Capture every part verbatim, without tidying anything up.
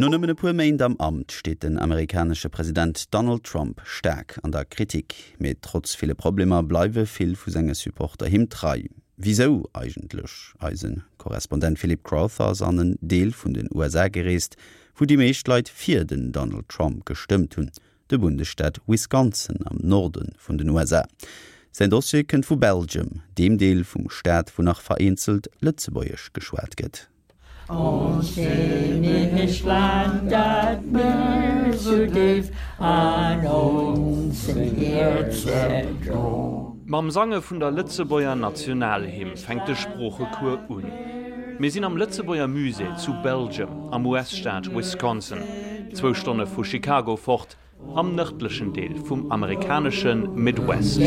No nëmmen e puer Méint am Amt steet den amerikanesche President Donald Trump staark an der Kritik. Mee trotz ville Problemer bleiwe vill vu senge Supporter him trei. Wisou eigentlech? Eise Korrespondent Philip Crowther ass an en Deel vun den U S A gereest, wou déi meescht Leit fir den Donald Trump gestëmmt hunn, de Bundesstaat Wisconsin am Norde vun den U S A. Säin Dossier kënnt vu Belgium, deem Deel vum Staat, wou nach vereenzelt Lëtzebuergesch geschwat gëtt. Ons Heemechtland, dat mir sou déif an onsen Häerze dron. Mam Sange vun der Lëtzebuerger Nationalhymn fänkt de Sproochecours un. Mir sinn am Lëtzebuerger Musée zu Belgium am U S-Staat Wisconsin, zwou Stonne vu Chicago fort, am nërdlechen Deel vum amerikanesche Midwest.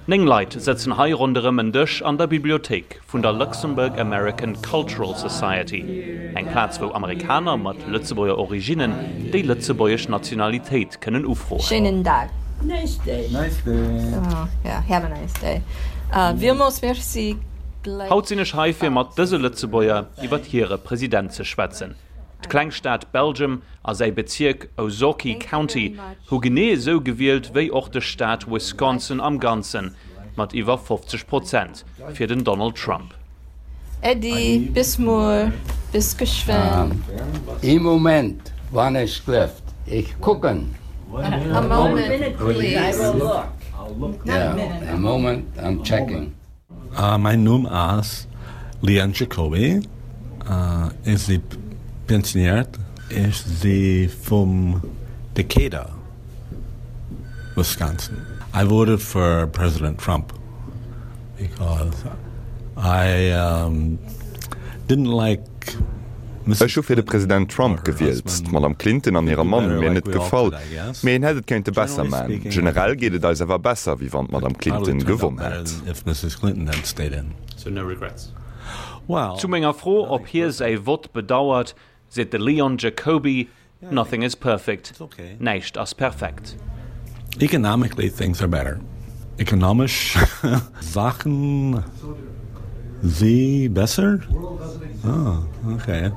Néng Leit sëtzen hei ronderëm en Dësch an der Bibliothéik vun der Luxembourg American Cultural Society, eng Plaz wou Amerikaner mat Lëtzebuerger Originnen déi lëtzebuergesch Nationalitéit kënnen ufroen. Schéinen Dag. Nice day. Nice day. Oh, yeah, have a nice day. Uh, villmools Merci. Haut sinn ech hei fir mat dëse Lëtzebuerger iwwer hire President ze schwätzen. D'Klengstad Belgium a säi Bezierk Ozaukee County hu genee esou gewielt wéi och de Staat Wisconsin am Ganzen, mat iwwer fofzeg Prozent fir den Donald Trump. Äddi, bis muer, bis geschwënn. Ee Moment, wann ech gelift. Ech kucken. A moment, please. Yeah, a moment, I'm checking. Uh, mein Numm ass Leon Jacoby. Uh, ech si pensionéiert. Ech si vum Decatur, Wisconsin. I voted for President Trump because I um, didn't like Ech hu fir de President Trump gewielt. D'Madame Clinton an hire Mann hu mir net gefall. Mee een hätt et kéinte besser maachen. Generell geet et eis awer besser, wéi wann d'Madame Clinton gewonn hätt. If Missus Clinton had stayed in. So no regrets. Well, Zu menger Fro, ob hie säi Vott bedauert, seet de Leon Jacoby: Nothing is perfect. Näischt ass perfekt. Economically things are better. Ekonomesch Saachen si besser? Ah, okay.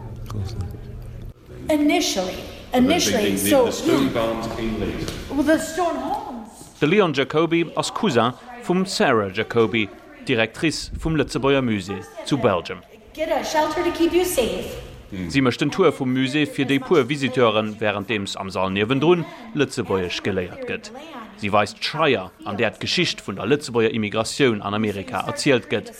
Initially, initially, so well, the stone homes. De Leon Jacoby ass Cousin vum Sarah Jacoby, Directrice vum Lëtzebuerger Musée zu Belgium. Get a shelter to keep you safe. Si mécht den Tour vum Musée fir déi puer Visiteuren, wärenddeems am Sall niewendrun Lëtzebuergesch geléiert gëtt. Si weist d'Scheier, an där d'Geschicht vun der Lëtzebuerger Immigratioun an Amerika erzielt gëtt.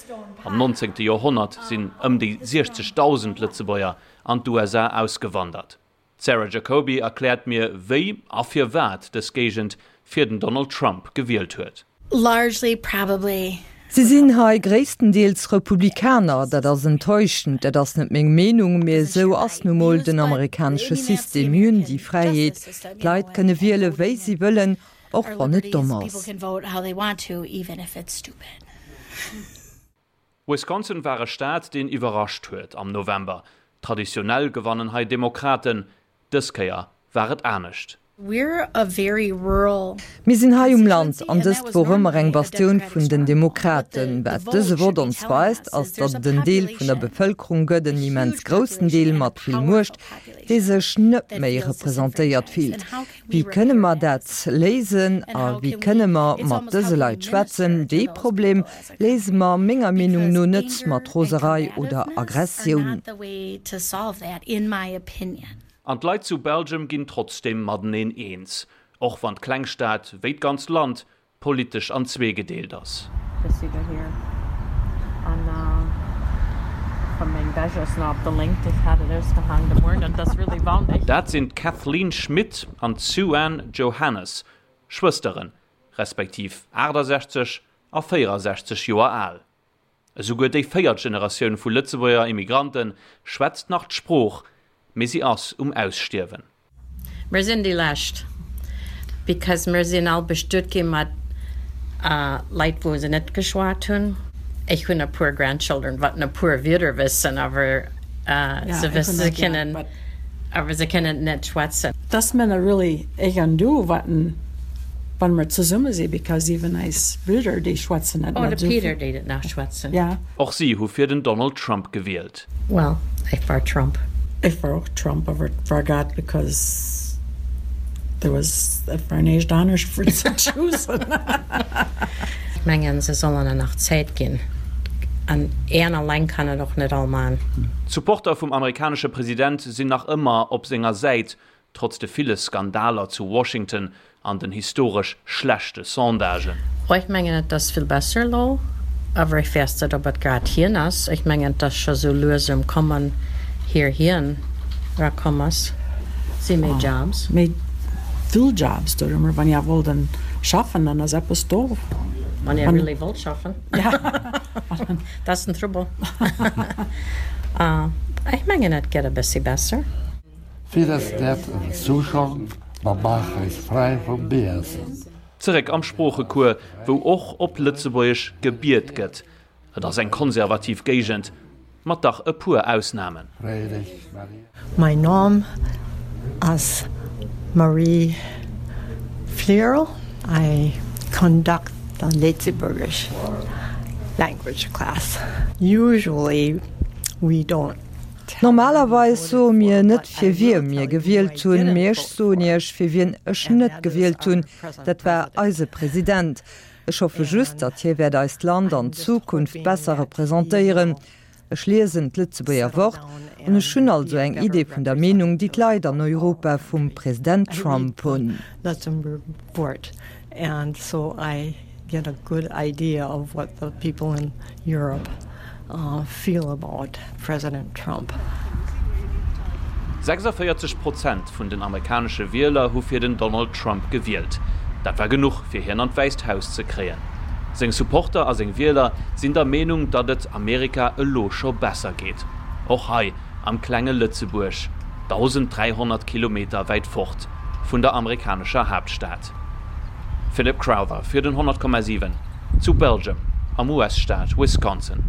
Am nonzéngte Joerhonnert sinn ëm déi siechzegdausend Lëtzebuerger an d'U S A ausgewandert. D'Sarah Jacoby erkläert mir, wéi a firwat dës Géigend fir den Donald Trump gewielt huet. Largely probably Si sinn hei gréisstendeels Republikaner, dat ass enttäuschend, dat ass net meng Meenung, mee esou ass nu mol den amerikanesche System. Mir hunn déi Fräiheet, d'Leit kënne wiele wéi si wëllen, och wann et domm ass. Wisconsin war e Staat, deen iwwerrascht huet am November. Traditionell gewannen hei Demokraten, dës Kéier war et anescht. We're a very rural Mir sinn hei um Land an dëst wor ëmmer eng Bastioun vun den Demokraten. Wat dëse Vott ons weist, ass, datt et en Deel vun der Bevëlkerung gëtt, en immens groussen Deel mat vill Muecht, dee sech net méi representéiert fillt. Wéi kënne mer dat léisen a wéi kënne mer mat dëse Leit schwätzen? Dee Problem léise mer menger Meenung no net mat Roserei oder Aggressioun. An d'Leit zu Belgium ginn trotzdeem mateneen eens, och wann d'Klengstad wéi d'ganzt Land politesch an zwee gedeelt ass. Dass si dohier an vun meng Wäsch ass nach op der Léngt, ech hat et ausgehaang de Mueren an et ass really wandeg. Dat sinn d'Kathleen Schmidt an d'Sue-Ann Johannes, Schwësteren, respektiv aachtasechzeg a véierasechzeg Joer al. Esouguer déi véiert Generatioun vu Lëtzebuerger Immigrante schwätzt nach d'Sprooch, mee si ass um Ausstierwen. Mir sinn déi lescht, because mir sinn all bestuet gi mat Leit wou se net geschwat hunn. Ech hunn e puer grandchildren wat e puer Wierder wëssen, awer se wësse se kennen awer se kennen net schwätzen. Dass Männer really ech an du watten wann mer zesumme si because even eis Bridder déi schwätzen net Oh, net de esou Peter vill. deet et nach schwätzen. Ja. Och si hu fir den Donald Trump gewielt. Well, ech war Trump. Ech war och Trump, awer et war grad because there was, et war näischt anescht fir ze choosen. Ech mengen, se sollen en nach Zäit ginn. An een alleng kann et och net all man. D'Supporter vum amerikanesche President sinn nach ëmmer op senger Säit, trotz de ville Skandaler zu Washington an den historesch schlechte Sondagen. Oh, ech mengen et ass vill besser elo, awer ech weess net ob et grad hien ass. Ech mengen et ass scho sou lues um kommen hier hien era komm ass. Si méi Jobs. Méi vill Jobs do, wann ihr wollt dann schaffen, dann ass eppes do. Wann ihr really wollt schaffen. Dat ass den Trouble. Ech mengen et gëtt e bëssi besser. Fir es net en Zuschong, ma maach eis fräi vum Biesen. Zeréck am Sproochecours, wou och op Lëtzebuergesch gebiet gëtt. Et ass eng konservativ Géigend, mat dach e puer Ausnamen. Mein Nom ass Marie Flierl. I conduct the Lëtzebuergesch language class. Usually we don't Normalerweis soe mir net fir wie mir gewielt hunn, mee ech soen Iech fir wien ech net gewielt hunn, dat war eise President. Ech hoffe just, datt hie wäert eist Land an Zukunft besser representéieren. Ech liesen d'Lëtzebuerger Wort an ech hunn also eng Idee vun der Meenung, déi d'Leit an Europa vum President Trump hunn. Luxembourg Wort and so I get a good idea of what the people in Europe feel about President Trump. sechsundvierzig Prozent vun den amerikanesche Wieler hu fir den Donald Trump gewielt. Dat war genuch, fir hien an d'Wäisst Haus ze kréien. Seng Supporter a seng Wieler sinn der Meenung, datt et Amerika elo scho besser geet. Och hei am klenge Lëtzebuerg, dausend dräihonnert Kilometer wäit fort vun der amerikanescher Haaptstad. Philip Crowther fir den honnert Komma siwen zu Belgium am U S-Staat Wisconsin.